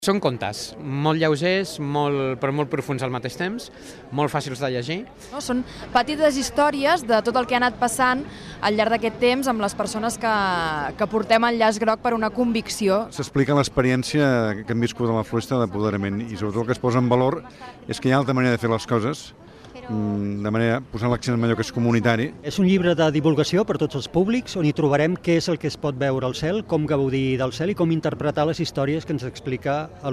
Són contes molt lleugers, però molt profuns al mateix temps, molt fàcils de llegir. Són petites històries de tot el que ha anat passant al llarg d'aquest temps amb les persones que portem el llaç groc per una convicció. S'explica l'experiència que hem viscut a la Floresta d'apoderament i sobretot el que es posa en valor és que hi ha altra manera de fer les coses, de manera posant l'accent en allò que és comunitari. És un llibre de divulgació per tots els públics on hi trobarem què és el que es pot veure al cel, com gaudir del cel i com interpretar les històries que ens explica l'Oriol.